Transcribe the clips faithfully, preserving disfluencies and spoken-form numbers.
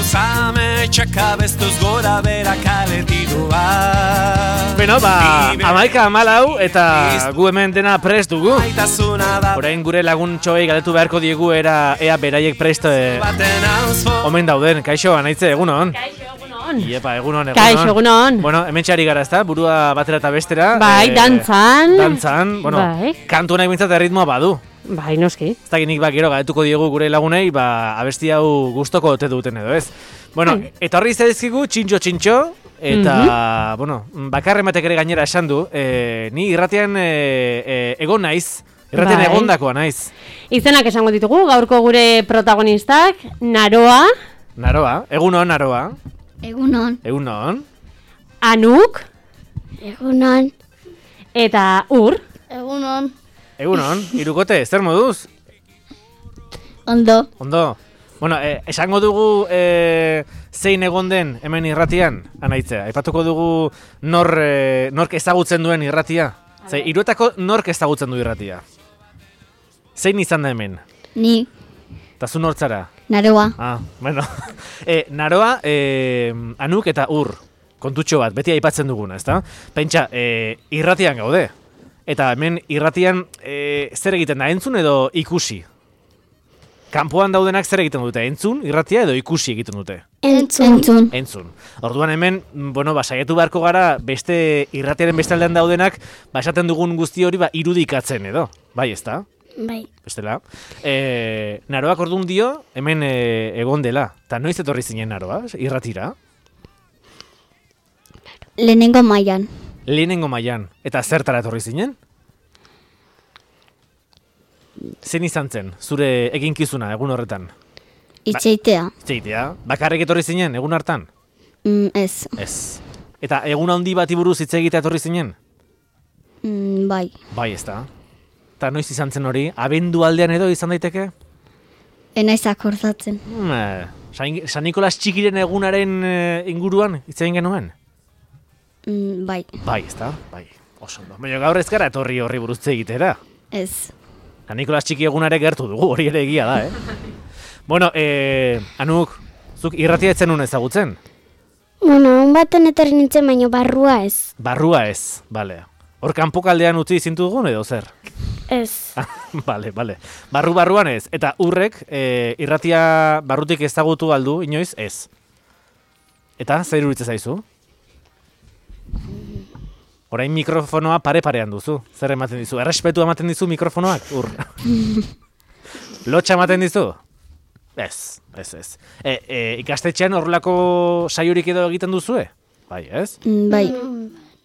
Zame txaka bestuz gora bera kaletidua. Beno, ba, amaika amalau eta gu hemen dena prest dugu. Orain gure laguntxoei galdetu beharko diegu era ea beraiek prest eh, omen dauden. Kaixo, anaitze, egunon? Kaixo, egunon. Iepa, egunon, egunon. Kaixo, egunon. Bueno, hemen txari gara, ezta? Burua batera eta bestera. Bai, eh, dantzan. Dantzan, bueno, Bai. kantu nahi bintzat erritmoa badu. Bai, noski. Ez dakinik ba, gero galdetuko diegu gure lagunei, ba, abesti hau gustoko ote duten edo, ez? Bueno, eta horri zaizkigu txintxo-txintxo, eta, mm-hmm. bueno, bakarren batek ere gainera esan du, e, ni irratian e, e, egon naiz, irratian bai. Egondakoa naiz. Izenak esango ditugu, gaurko gure protagonistak, Naroa. Naroa, egunon, Naroa. Egunon. Egunon. Anuk. Egunon. Eta Ur. Egunon. Egunon, irukote, zer moduz? Ondo. Ondo. Bueno, eh, esango dugu eh, zein egon den hemen irratian, anaitzea. Aipatuko dugu nor, eh, nork ezagutzen duen irratia. Ze, Iruetako nork ezagutzen du irratia. Zein izan da hemen? Ni. Eta zu nortzara? Naroa. Ah, bueno. e, naroa, e, Anuk eta Ur. Kontutxo bat, beti aipatzen duguna, ezta? Pentsa, e, irratian gaude. Eta hemen irratian e, zer egiten da, entzun edo ikusi? Kanpoan daudenak zer egiten dute, entzun, irratia edo ikusi egiten dute? Entzun. Entzun. Entzun. Orduan hemen, bueno, ba, saiatu beharko gara beste irratiaren beste aldean daudenak, ba, esaten dugun guzti hori ba, irudikatzen edo, bai ezta? Bai. Bestela. E, naroak orduan dio, hemen e, egon dela. Eta noiz etorri zinen Naroa, irratira? Lehenengo mailan. Lehenengo mailan. Eta zertara etorri zinen? Zen izan zen, zure eginkizuna egun horretan? Itxeitea. Ba, itxeitea. Bakarrik etorri zinen, egun hartan? Mm, ez. Ez. Eta egun handi bati buruz hitz egitea etorri zinen? Mm, bai. Bai, ez da. Eta noiz izan zen hori? Abendu aldean edo izan daiteke? Enaiz akordatzen. Hmm, San, San Nikolas txikiren egunaren inguruan hitz egin genuen? Mm, bai. Bai, ez da, bai. Oso ondo. Baina gaur ez gara etorri horri buruz egitera. Ez. San Nikolas txiki egunare gertu dugu, hori ere egia da, eh? Bueno, eh, Anuk, zuk irratia etzen nuen ezagutzen? Bueno, un baten etorri nintzen, baina barrua ez. Barrua ez, bale. Hor kanpokaldean utzi zintu dugun edo zer? Ez. Bale, bale. Barru barruan ez. Eta Urrek eh, irratia barrutik ezagutu aldu, inoiz ez. Eta, zer iruditzen zaizu? Orain mikrofonoa pare-parean duzu. Zer ematen dizu? Errespetua ematen dizu mikrofonoak, Ur? Lotxa ematen dizu? Ez, ez, ez. E, e, ikastetxean horrelako saiorik edo egiten duzue? Bai, ez? Mm, bai.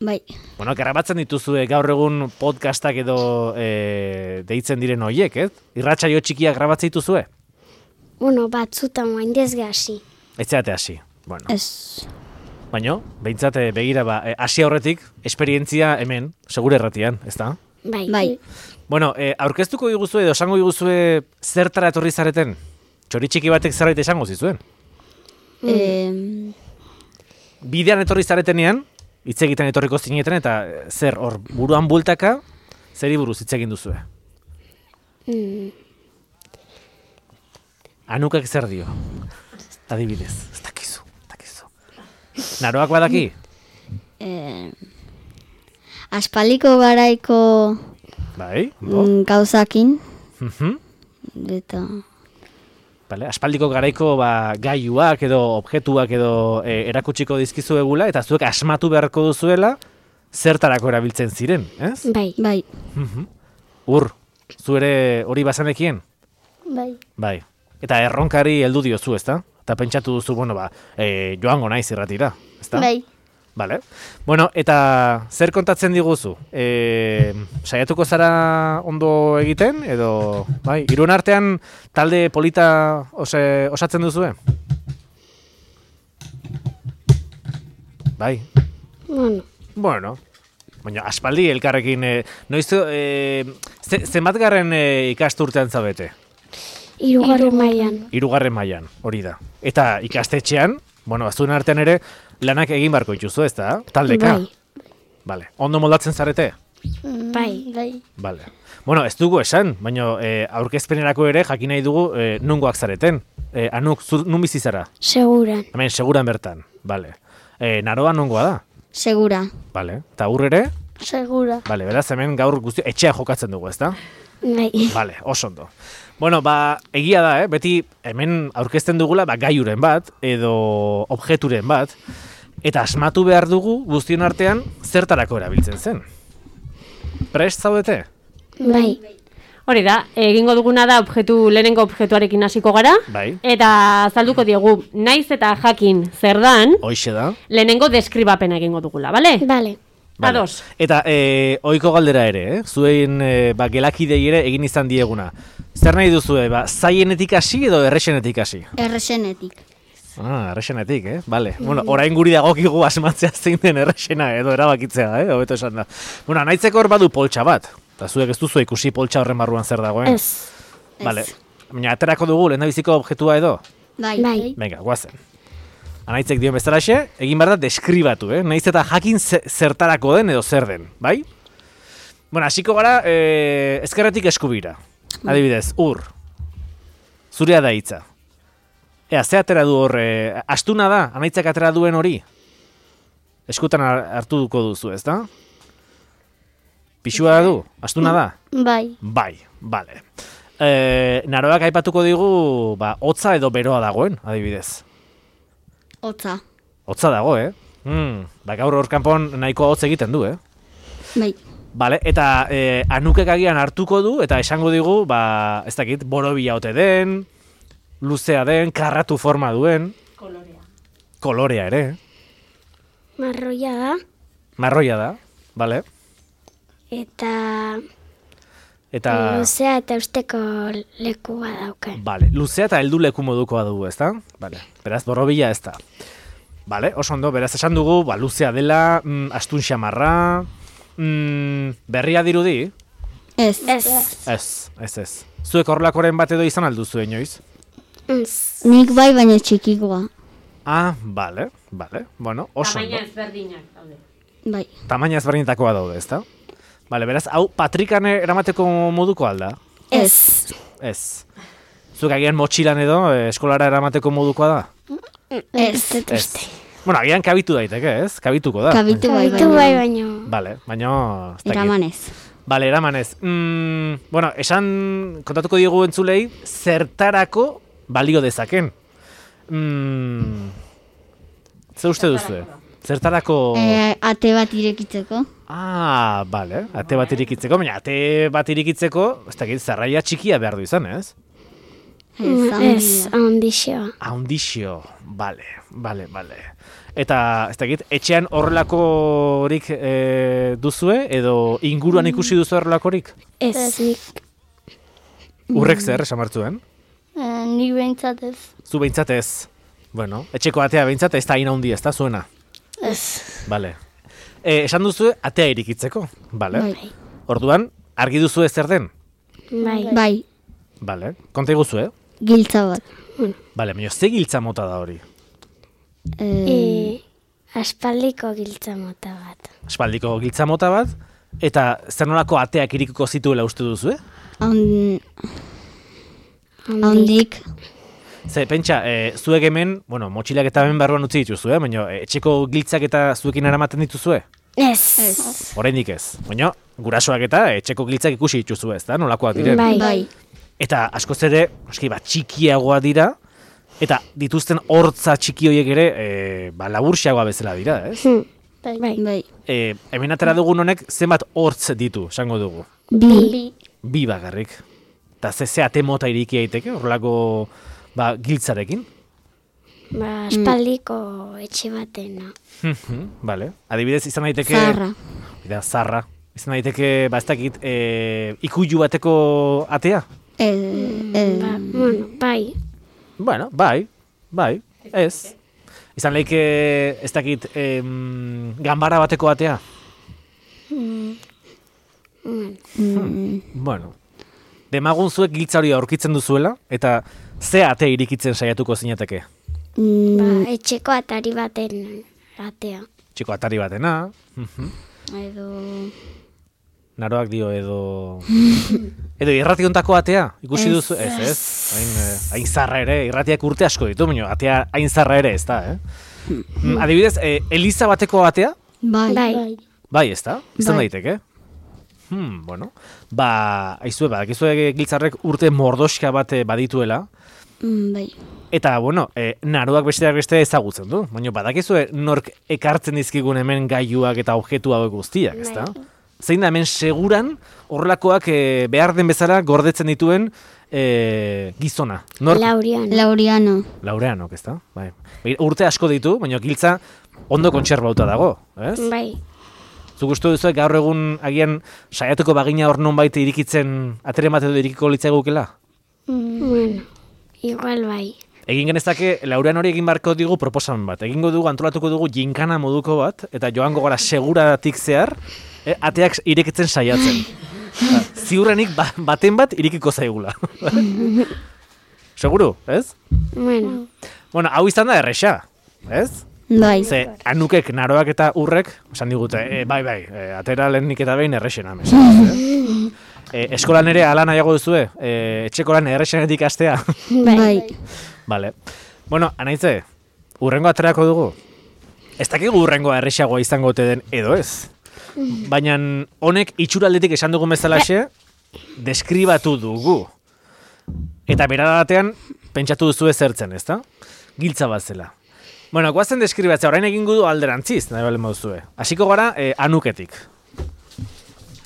Bai. Bueno, grabatzen dituzue gaur egun podcastak edo e, deitzen diren horiek, ez? Irratsaio txikiak grabatzen dituzue? Bueno, batzutan oain dezgasi. Ez zeate hasi. Bueno. Ez. Baina, behintzat begira, ba, hasi aurretik, esperientzia hemen, segure erratian, ez da? Bai. Bai. Bueno, e, aurkeztuko diguzue edo esango diguzue zertara etorri zareten? Txori txiki batek zerbait esango zizuen? Mm. E... Bidean etorri zaretenean, hitz egiten etorriko zineten, eta zer, hor, buruan bultaka, zeri buruz hitz egin duzue? Mm. Anukak zer dio? Adibidez, ez dakizu, ez dakizu. Naroak badaki? E... Aspaliko garaiko Bai, mm, gauzakin. Mhm. Eta... Vale, aspaldiko garaiko ba, gaiuak edo objektuak edo e, erakutsiko dizkizu egula, eta zuek asmatu beharko duzuela zertarako erabiltzen ziren, ez? Bai. Bai. Mhm. Ur, zu ere hori bazanekien? Bai. Bai. Eta erronkari heldu diozu, ezta? Eta pentsatu duzu, bueno, ba, e, joango naiz irratira, ezta? Bai. Vale. Bueno, eta zer kontatzen diguzu? E, saiatuko zara ondo egiten, edo, bai, Irun artean talde polita ose, osatzen duzue? Bai. Bueno. Bueno. Baina, aspaldi elkarrekin, e, noiz, e, ze, zenbatgarren e, ikasturtean zabete? Hirugarren mailan. Hirugarren mailan, hori da. Eta ikastetxean, bueno, azuen artean ere, lanak egin barko dituzu, ez da? Taldeka? Bai. Vale. Ondo moldatzen zarete? Bai. Bai. Vale. Bueno, ez dugu esan, baina e, aurkezpenerako ere jakin nahi dugu e, nungoak zareten. E, Anuk, zu nun bizi zara? Seguran. Hemen, seguran bertan. Vale. E, Naroa nongoa da? Segura. Vale. Eta Ur ere? Segura. Vale, beraz hemen gaur guzti etxea jokatzen dugu, ezta? Bai. Vale, oso ondo. Bueno, ba, egia da, eh? Beti hemen aurkezten dugula ba, gaiuren bat, edo objeturen bat, eta asmatu behar dugu guztion artean zertarako erabiltzen zen. Prest zaudete? Bai. Hori da, egingo duguna da objektu, lehenengo objektuarekin hasiko gara, Bai. eta azalduko diegu, naiz eta jakin zer dan, Hoixe da. lehenengo deskribapena egingo dugula, bale? Bale. Vale. Ados. Eta e, ohiko galdera ere, eh? Zuen e, ba, gelakidei ere egin izan dieguna. Zer nahi duzue, ba, zaienetik hasi edo errexenetik hasi? Erresenetik. Ah, errexenetik, eh? Vale. Bueno, orain guri dagokigu asmatzea zein den errexena edo erabakitzea, eh? Hobeto esan da. Bueno, anaitzeko hor badu poltsa bat. Eta zuek ez duzu ikusi poltsa horren barruan zer dagoen. Ez. Vale. Baina aterako dugu lehendabiziko objektua edo. Bai. Bai. Venga, guazen. Anaitzek dion bezalaxe, egin behar da deskribatu, eh? Naiz eta jakin ze- zertarako den edo zer den, bai? Bueno, hasiko gara eh, ezkerretik eskubira. Adibidez, Ur. Zurea da hitza. Ea, ze atera du hor, eh, astuna da, anaitzak atera duen hori? Eskutan har- hartuko duzu, ez da? Pixua du, astuna da? Bai. Bai, bale. E, naroak aipatuko digu, ba, hotza edo beroa dagoen, adibidez. Hotza. Hotza dago, eh? Hmm, ba, gaur hor kanpon nahiko hotz egiten du, eh? Bai. Bale, eta e, Anukek agian hartuko du, eta esango digu, ba, ez dakit, borobila ote den, luzea den, karratu forma duen. Kolorea. Kolorea ere, Marroia da. marroia da, bale? Eta Eta, luzea eta usteko lekua dauka. bale, luzea eta heldu leku modukoa dugu, ezta? Bale, beraz, borobila ez da. Bale, oso ondo, beraz esan dugu, ba, luzea dela, mm, astun xamarra, mm, berria dirudi? Ez. Ez. Ez, ez ez. Zuek horrelakoren bat edo izan alduzu inoiz? Ez. Nik bai, baina txikikoa. Ah, bale, bale, bueno, oso ondo. ezberdinak daude. Bai. Tamaina ezberdinetakoa daude, ezta? Bale, beraz, hau patrikan eramateko moduko alda? Ez. Ez. Zuek agian motxilan edo eh, eskolara eramateko modukoa da? Ez. Ez. Ez. Bueno, agian kabitu daiteke, ez? Kabituko da. Kabitu bai, Kabitu baina. bai baino. Bale, baina... ez dakit. Eramanez. Bale, eramanez. Mm, bueno, esan kontatuko diegu entzulei, zertarako balio dezaken. Mm, ze uste duzu? Zertarako... E, ate bat irekitzeko. Ah, bale, ate bat irikitzeko, baina ate bat irikitzeko, ez dakit, zarraia txikia behar du izan, ez? Ez, Ez. handia. Handixoa. Haundixio, bale, bale, bale. Eta, ez dakit, etxean horrelakorik e, duzue, edo inguruan ikusi duzu horrelakorik? Ez. Nik. Urrek zer, esan martzuen? Nik behintzat ez. Zu behintzat ez. Bueno, etxeko atea behintzat ez da hain handi, ez da zuena? Ez. Bale. E, esan duzu atea irikitzeko, bale? Bai. Orduan, argi duzu zer den? Bai. Bai. Bale, konta iguzu, eh? Giltza bat. Bale, baina ze giltza mota da hori? E, E, aspaldiko giltza mota bat. Espaldiko giltza mota bat, eta zer nolako ateak irikiko zituela uste duzu, eh? hon- Hondik. Ze, pentsa, e, zuek hemen, bueno, motxilak eta hemen barruan utzi dituzu, eh? Baina e, etxeko giltzak eta zuekin eramaten dituzue? Ez. Ez. Oraindik ez. Baina, gurasoak eta etxeko giltzak ikusi dituzu, ez da? Nolakoak diren? Bai. Bai. Eta askoz ere, eski, ba, txikiagoa dira, eta dituzten hortza txiki horiek ere, e, ba, laburxiagoa bezala dira, ez? Hm. Bai. Bai. Bai. E, hemen atera dugun honek zenbat hortz ditu, esango dugu. Bi. Bi bakarrik. Eta ze ze ate mota iriki daiteke, horrelako ba, giltzarekin. Ba, aspaldiko etxe batena. Vale. Adibidez, izan daiteke... Zaharra. Da, zarra. Izan daiteke, ba, ez dakit, e, ikuilu bateko atea? E, e, Ba, bueno, bai. Bueno, bai, bai, ez. Izan leike, ez dakit, em, ganbara bateko atea? Bueno, demagun zuek giltza hori aurkitzen duzuela, eta ze ate irikitzen saiatuko zinateke? mm, Ba, etxeko atari baten atea. Txiko atari batena. Mhm. edo... Naroak dio edo... edo irrationtako atea, ikusi duzu? Ez, ez? Hain, eh, hain zarra ere, irratiak urte asko ditu, baina atea hain zarra ere ez da, eh? Mm, adibidez, eh, Eliza bateko atea? Bai. Bai. Bai, ez da? Izan Bai. daiteke? Hmm, bueno. Ba, aizue, ba, dakizue Giltzarrek urte mordoska bat eh, badituela, Mm, bai. eta, bueno, eh, naroak besteak beste ezagutzen du. Baina, badakizue nork ekartzen dizkigun hemen gailuak eta objektu hauek guztiak, ez da? Zein da hemen seguran horrelakoak eh, behar den bezala gordetzen dituen eh, gizona. Nork? Laurian. Laureano. Laureanok, ez da? Bai. Begira, urte asko ditu, baina Giltza ondo kontserbauta dago, ez? Bai. Zuk uste duzu gaur egun agian saiatuko bagina hor nonbait irikitzen atere bat edo irikiko litzaigukela? Mm. Bueno, igual bai. Egin genezake Laurean hori egin barko digu proposamen bat. Egingo dugu, antolatuko dugu jinkana moduko bat, eta joango gara seguratik zehar, eh, ateak irekitzen saiatzen. Ba, ziurrenik ba, baten bat irikiko zaigula. Seguru, ez? Bueno, Bueno, hau izan da erresa, ez? Bai. Ze, Anukek, Naroak eta Urrek, esan digute, e, bai, bai, e, atera lehenik eta behin errexena, mesedez, eh? E, eskolan ere ala nahiago duzue, e, etxeko lan errexenetik astea. Bai. Vale. Bueno, anaitze, urrengo aterako dugu. Ez dakigu urrengoa errexagoa izango ote den edo ez. Baina honek itxuraldetik esan dugun bezalaxe, deskribatu dugu. Eta berara batean, pentsatu duzue zertzen, ezta? Giltza bat zela. Bueno, guazen deskribatzea, orain egingo du alderantziz, nahi bale moduzue. Hasiko gara, eh, Anuketik.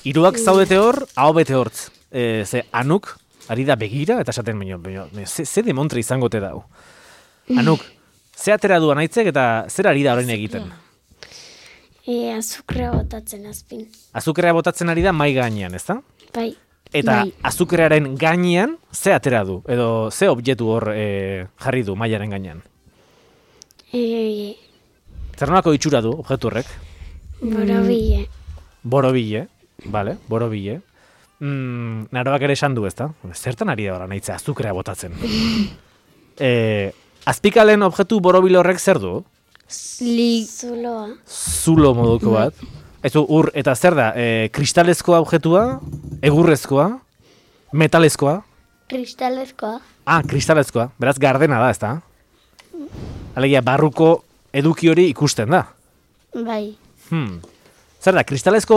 Hiruak zaudete hor, aho bete hortz. E, ze Anuk, ari da begira, eta esaten baino, baino, ze, ze demontre izango te dau. Anuk, ze atera du anaitzek eta zer ari da orain egiten? e, azukrea botatzen azpin. Azukrea botatzen ari da mai gainean, ezta? Bai. Eta Bai. azukrearen gainean, ze atera du? Edo ze objektu hor e, jarri du mailaren gainean? E, Zer nolako itxura du objektu horrek? borobile. Borobile, vale, borobile. Mm, Naroak ere esan du, ezta? Zertan ari da ora naitza azukrea botatzen. e, azpikalen objektu borobile horrek zer du? Li... Zuloa. Zulo moduko bat. Ez du, ur, eta zer da? E, kristalezkoa objektua, egurrezkoa, metalezkoa. Kristalezkoa. Ah, kristalezkoa. Beraz, gardena da, ezta? Alegia, barruko eduki hori ikusten da. Bai. Hmm. Zer da, kristalezko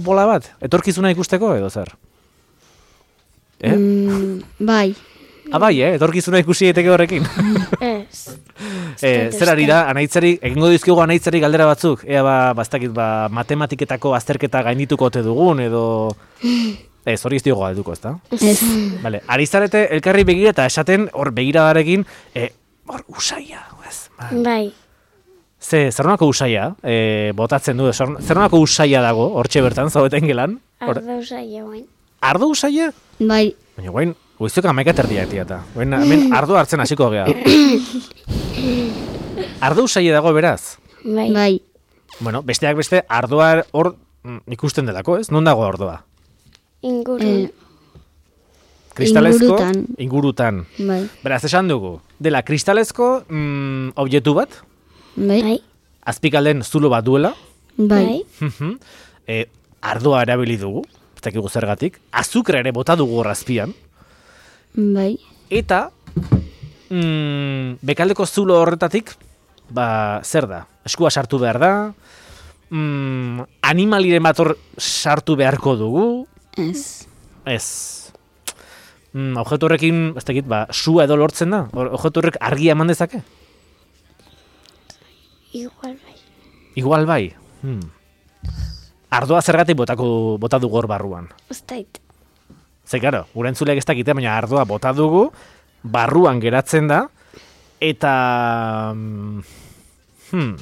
bola bat? Etorkizuna ikusteko edo zer? Eh? Mm, bai. Ah, bai, eh? Etorkizuna ikusi daiteke horrekin. Ez. eh, zer ari da, anaitzari, egingo dizkigu anaitzari galdera batzuk? Ea ba, bastakit, ba, matematiketako azterketa gaindituko ote dugun, edo... Ez, hori ez diogo galduko, ezta? Ez. Vale, ari zarete elkarri begira eta esaten hor begiradarekin, eh, hor, usaia, ez? Ba, Bai. Ze, zer nolako usaia, eh, botatzen du, zer zer nolako usaia dago, hortxe bertan, zaudeten gelan? Hor- Ardo usaila guain. Ardo usaia? Bai. Baina guain, goizok amaika terdiak diata. Guain, hemen ardo hartzen hasiko gea. Ardo usaia dago beraz? Bai. Bai. Bueno, besteak beste, ardoa hor mm, ikusten delako, ez? Non dago ardoa? Inguru. Eh, Kristalezko, Ingurutan. ingurutan. bai. Beraz, esan dugu, dela kristalezko mm, objektu bat, Bai. Bai. azpikalden zulo bat duela, Bai. mhm, e, ardoa erabili dugu, ez dakigu zergatik, azukre ere bota dugu hor azpian, Bai. eta mm, bekaldeko zulo horretatik, ba, zer da? Eskua sartu behar da, mm, animaliren bat hor sartu beharko dugu, Ez. ez. Mm, objektu horrekin, ez dakit, ba, sua edo lortzen da? Hor- Objektu horrek argia eman dezake? Igual bai. Igual bai. Hmm. Ardoa zergatik botako, bota dugu hor barruan. Uztait. Ze, karo, gure entzuleak ez dakite, baina ardoa bota dugu, barruan geratzen da, eta... mm, Hmm.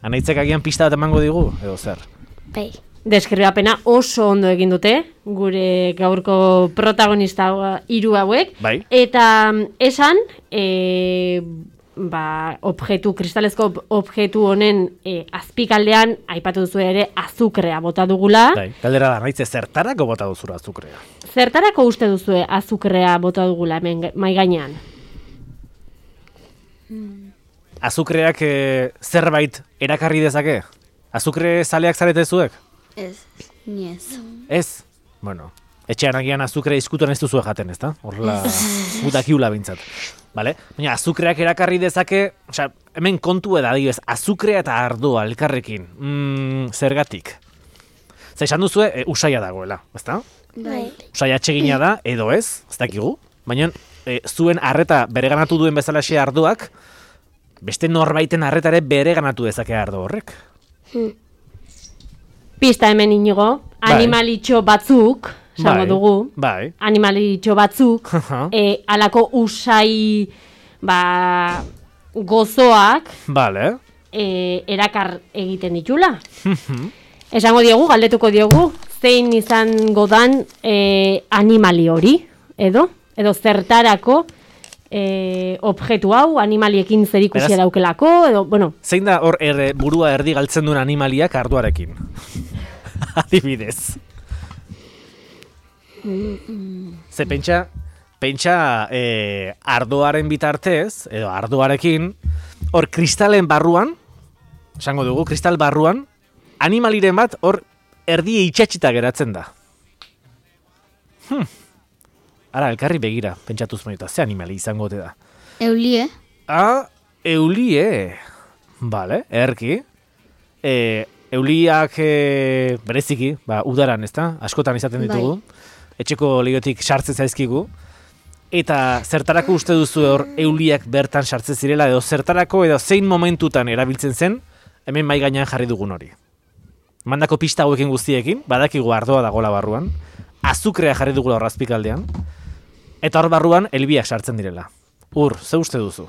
Anaitzek agian pista bat emango digu, edo zer? Bai. Deskribapena oso ondo egin dute, gure gaurko protagonista hiru hauek. Bai. Eta mm, esan, e, ba, objektu, kristalezko ob- objektu honen e, azpikaldean, aipatu duzu ere, azukrea bota dugula. Bai. Galdera da, naitze zertarako bota duzura azukrea? Zertarako uste duzue azukrea bota dugula hemen ga- mahai gainean? Azukreak e, zerbait erakarri dezake? Azukre zaleak zarete zuek? Ez. Ni ez. Ez? Bueno, etxean agian azukrea izkutuan ez duzu jaten, ez da? Horrela, gutakiula bintzat. Vale? Baina azukreak erakarri dezake, osea, hemen kontu eda, adibidez, azukrea eta ardoa elkarrekin. Mm, zergatik? Zer esan duzue, e, usaia dagoela, ezta? Bai. Usaia atsegina da, edo ez, ez dakigu. Baina e, zuen arreta bereganatu duen bezalaxe ardoak, beste norbaiten arretare bereganatu dezake ardo horrek. Pista hemen inigo, Bai. animalitxo batzuk, esango Bai, dugu, bai. animalitxo batzuk, Aha. e, alako usai, ba, gozoak, Vale. e, erakar egiten ditula. Esango diogu, galdetuko diogu, zein izango dan e, animali hori, edo? Edo zertarako e, objektu hau, animaliekin zerikusia Beraz- daukelako, edo, bueno, Zein da hor er, burua erdi galtzen duen animaliak arduarekin? Adibidez. Ze pentsa, pentsa e, ardoaren bitartez, edo ardoarekin, hor kristalen barruan, esango dugu, kristal barruan, animaliren bat hor erdi itxatxita geratzen da. Hmm. Ara, elkarri begira, pentsatuz maita, ze animali izango ote da. Eulie? Ah, eulie. Vale, erki. E, euliak e, bereziki, ba, udaran, ezta? Askotan izaten ditugu. Etxeko lehiotik sartzen zaizkigu. Eta zertarako uste duzu hor euliak bertan sartzen zirela, edo zertarako edo zein momentutan erabiltzen zen, hemen mai gainean jarri dugun hori. Mandako pista hauekin guztiekin, badakigu ardoa dagola barruan, azukrea jarri dugula hor azpikaldean, eta hor barruan elbiak sartzen direla. Ur, ze uste duzu?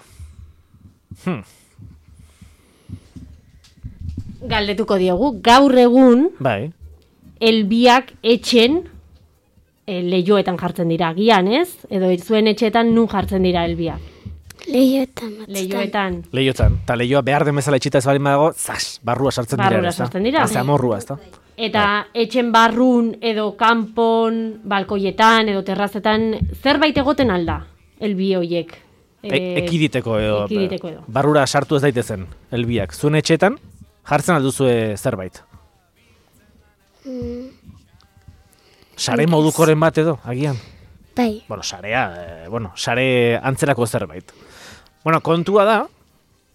Hmm. galdetuko diogu, gaur egun, Bai, elbiak etxen e, lehioetan jartzen dira, gian ez? Edo zuen etxeetan nun jartzen dira elbiak? Lehioetan batzutan. Lehioetan. lehiotan. Eta lehioa behar den bezala etxita ez balin badago, zas, barrua sartzen dira. Barrura ezta? sartzen dira. Haze amorrua, ez da? Eta etxen barrun edo kanpon, balkoietan edo terrazetan zerbait egoten alda, elbi hoiek. E, ekiditeko edo, ekiditeko edo. barrura sartu ez daitezen, elbiak. Zuen etxetan, jartzen alduzue zerbait. Sare modukoren bat edo, agian. Bai. Bueno, sarea, eh, bueno, sare antzerako zerbait. Bueno, kontua da,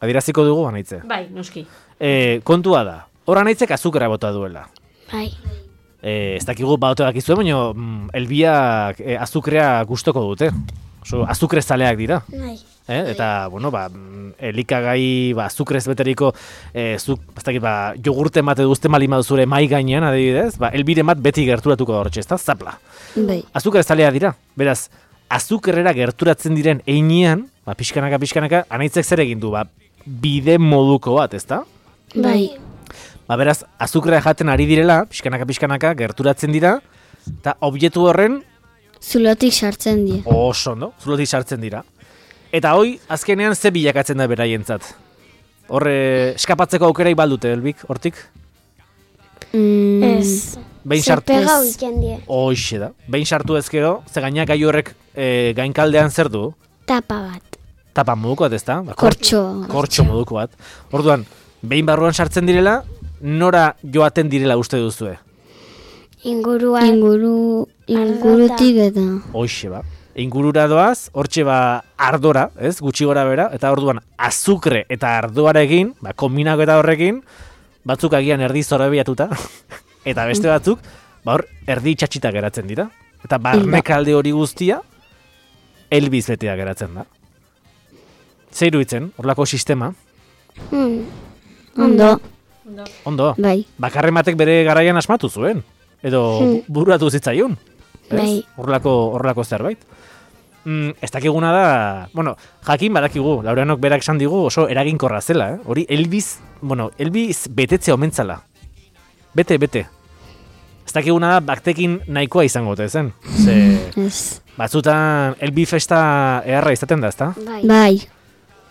adieraziko dugu anaitze. Bai, noski. E, kontua da, hor anaitzek azukera bota duela. Bai. E, ez dakigu baute dakizue, baina mm, elbiak e, azukrea gustoko dute. Oso, azukre zaleak dira. Bai. Eh? Eta, bueno, ba, mm, elikagai, ba, azukrez beteriko, eh, zuk, ez dakit, ba, jogurte bat edo uste malima duzure mai gainean, adibidez, ba, elbire bat beti gerturatuko da hortxe, ez da, zapla. Bai. Azukre zalea dira, beraz, azukerrera gerturatzen diren einean, ba, pixkanaka, pixkanaka, anaitzek zer egin du, ba, bide moduko bat, ez da? Bai. Ba, beraz, azukrea jaten ari direla, pixkanaka, pixkanaka, gerturatzen dira, eta objektu horren, Zulotik sartzen die. oso ondo, zulotik sartzen dira. Eta hoi, azkenean ze bilakatzen da beraientzat? Horre, eskapatzeko aukerai baldute, elbik, hortik? Mm, Ez. Behin Zer sartu pega ez, uiten die. hoxe da. Behin sartu ezkero, ze gainak gai horrek e, gainkaldean zer du? Tapa bat. Tapa moduko bat, ez da? Ba, kor- Kortxo. Kortxo moduko bat. Orduan, behin barruan sartzen direla, nora joaten direla uste duzue? Inguruan. Inguru, ingurutik eta. Hoxe ba. Ingurura doaz, hortxe ba ardora, ez? Gutxi gora bera, eta orduan azukre eta ardoarekin, ba, kombinako eta horrekin, batzuk agian erdi zorabiatuta, eta beste batzuk, ba hor, erdi itxatxita geratzen dira. Eta barnekalde hori guztia, elbiz betea geratzen da. Zer iruditzen, horlako sistema? Hmm. Ondo. Ondo, Bai. bakarren batek bere garaian asmatu zuen, edo bururatu zitzaion. Ez? Bai. Horrelako, horrelako zerbait. Mm, ez dakiguna da, bueno, jakin badakigu, Laureanok berak esan digu oso eraginkorra zela, eh? Hori elbiz, bueno, elbiz betetze omentzala. Bete, bete. Ez dakiguna da, baktekin nahikoa izango ote zen. Ze, Ez. batzutan elbi festa eharra izaten da, ezta? Bai. Bai.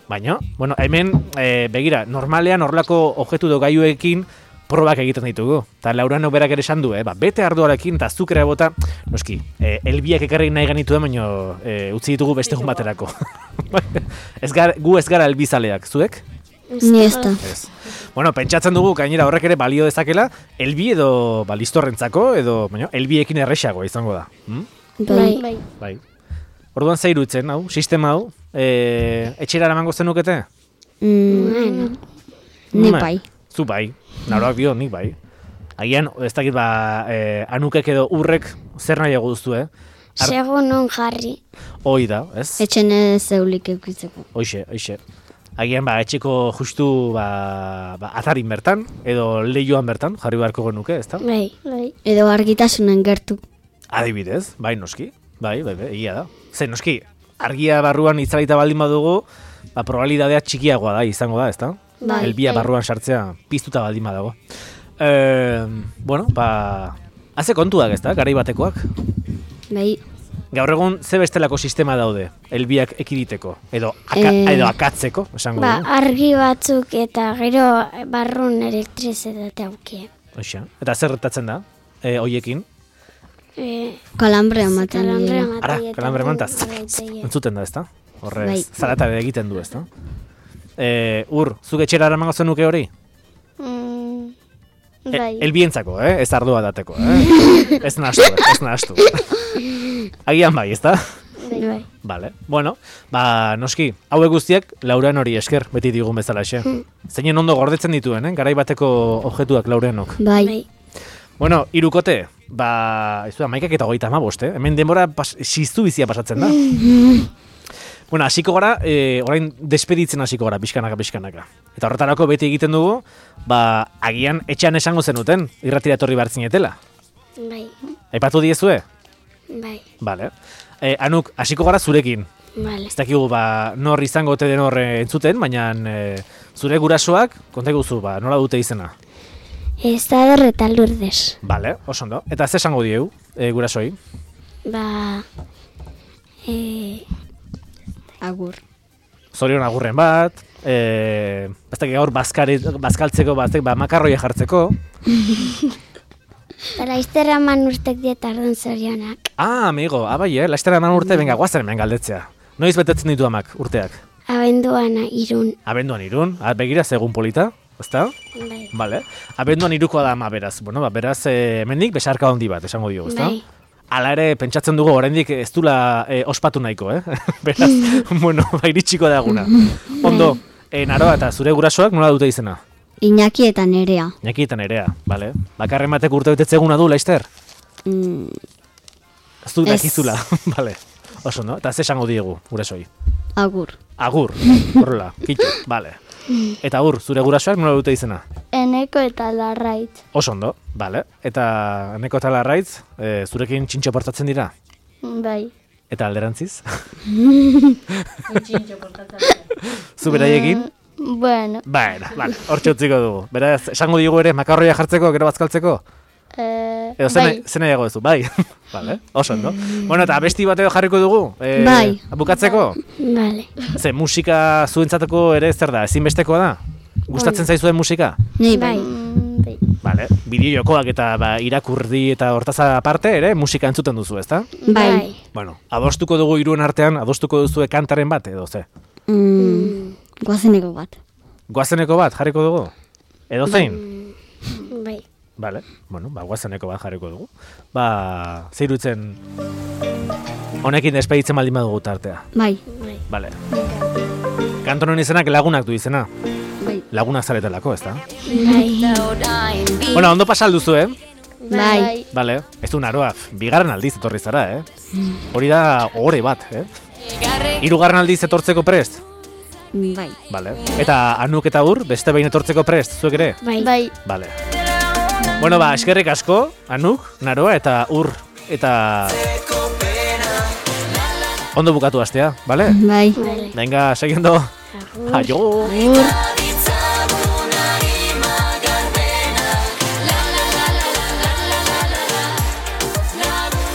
Baina, bueno, hemen, e, begira, normalean horrelako objektu do gaiuekin probak egiten ditugu. Eta Laurano berak ere esan du, eh? Ba, bete ardoarekin eta azukrea bota, noski, e, elbiak ekarri nahi ganitu da, baina e, utzi ditugu beste egun baterako. ez gar, gu ez gara elbizaleak, zuek? Ni ez da. Ez. Bueno, pentsatzen dugu gainera horrek ere balio dezakela, elbi edo balistorrentzako, edo, baina, elbiekin erresagoa izango da. Hm? Bai. Bai. Bai. Orduan zer iruditzen, hau, sistema hau, e, etxera eramango zenukete? Mm, ni Me, bai. Zu bai, naroak dio, nik bai. Agian, ez dakit ba, e, anukek edo urrek zer nahiago duztu, eh? Ar- Segun non jarri. Hoi da, ez? Etxen ez eulik eukitzeko. Hoixe, hoixe. Agian, ba, etxeko justu, ba, ba, atarin bertan, edo lehioan bertan, jarri beharko genuke, ez da? Bai. Bai. Edo argitasunen gertu. Adibidez, bai, noski. Bai, bai, bai, egia da. Ze, noski, argia barruan itzalita baldin badugu, ba, probabilidadea txikiagoa da, izango da, ez da? Bai, Elbia bai. barruan sartzea piztuta baldin badago. E, bueno, ba, haze kontuak, ez da, garai batekoak. Bai. Gaur egun, ze bestelako sistema daude, elbiak ekiditeko, edo, aka, Eh. edo akatzeko, esango Ba, dugu. argi batzuk eta gero barrun elektrizitatea aukie. Hoxe. Eta zer gertatzen da, e, hoiekin? E, Kalambre ematen kalambre dira. ematen Ara, eta kalambre gu- mantaz, gaiteie. entzuten da, ez da? Horrez, Bai. zaratare egiten du, ez da? E, ur, zuk etxera eramango zenuke hori? Mm, E, bai. elbientzako, eh? Ez ardua dateko, eh? Ez nahastu, ez nahastu. Agian bai, ez da? Bai. Vale. Bueno, ba, noski, hauek guztiak Lauren hori esker, beti digun bezalaxe. Zeinen ondo gordetzen dituen, eh? Garai bateko objektuak Laurenok. Bai. Bai. Bueno, hirukote, ba, ez du, amaikak eta hogeita hamabost, eh? Hemen denbora pas, siztu bizia pasatzen da. Bueno, hasiko gara, e, orain despeditzen hasiko gara, pixkanaka, pixkanaka. Eta horretarako beti egiten dugu, ba, agian etxean esango zenuten, irratira etorri behar zinetela. Bai. Aipatu diezue? Bai. Vale. E, Anuk, hasiko gara zurekin. Vale. Ez dakigu, ba, nor izango ote den horre entzuten, baina e, zure gurasoak, konta guzu, ba, nola dute izena. Estador eta Lourdes. Vale, oso ondo. Eta ze esango dieu, e, gurasoi? Ba... E, Agur. Zorion agurren bat, e, ez dakik gaur bazkari, bazkaltzeko, ba, ez dakit, ba, makarroia jartzeko. eta laizterra man urtek dietardun zorionak. Ah, amigo, abai, eh, laiztera eman urte, benga, guazen hemen galdetzea. Noiz betetzen ditu amak urteak? Abenduan irun. Abenduan irun, ah, begira zegun polita, ezta? Bai. Vale. Abenduan irukoa da ama beraz. Bueno, ba, beraz, e, hemendik besarka handi bat, esango diogu, ezta? Bai. Hala ere, pentsatzen dugu, oraindik ez dula e, ospatu nahiko, eh? Beraz, bueno, ba, iritsiko da eguna. Ondo, e, Naroa eta zure gurasoak nola dute izena? Iñaki eta Nerea. Iñaki eta Nerea, bale? Bakarren batek urte betetze eguna du, Laister? Mm, Ez du Ez. dakizula, bale. Oso, no? Eta ze esango diegu, gurasoi? agur. Agur, horrela, kitxo, bale. Eta agur, zure gurasoak nola dute izena? Eneko eta Larraitz. Oso ondo, bale. Eta Eneko eta Larraitz, e, zurekin txintxo portatzen dira? Bai. Eta alderantziz? Zu beraiekin? Bueno. Baina, bale, hortxe utziko dugu. Beraz, esango digu ere makarroia jartzeko, gero bazkaltzeko? Eh, Edo zen, zen nahiago duzu, bai. Vale, oso ondo. Bueno, eta abesti bat edo jarriko dugu? E, Bai. Bukatzeko? Vale. Ze musika zuentzateko ere zer da, ezinbestekoa da? Gustatzen zaizuen musika? Nei Bai. bai. Bai. Vale, bideo jokoak eta ba, irakurdi eta hortaz aparte ere musika entzuten duzu, ezta? Bai. Bueno, adostuko dugu hiruen artean, adostuko duzue kantaren bat edo ze? Mm, Goazeneko bat. Goazeneko bat jarriko dugu? Edo zein? Bai. Vale, bueno, ba, goazeneko bat jarriko dugu. Ba, zeirutzen honekin despeditzen baldin badugu tartea. Bai. Bai. Vale. Kantonen izenak lagunak du izena. Bai. Lagunak zaretelako, ezta? Bai. Bueno, ondo pasal duzu, eh? Bai. Vale, ez du Naroa, bigarren aldiz etorri zara, eh? Hori da ohore bat, eh? Hirugarren aldiz etortzeko prest? Bai. Vale. Eta Anuk eta Ur, beste behin etortzeko prest, zuek ere? Bai. Bai. Vale. Bueno, ba, eskerrik asko, Anuk, Naroa eta Ur, eta ondo bukatu astea, vale? Bai. Vale. Venga, seguindo. Aio. Agur.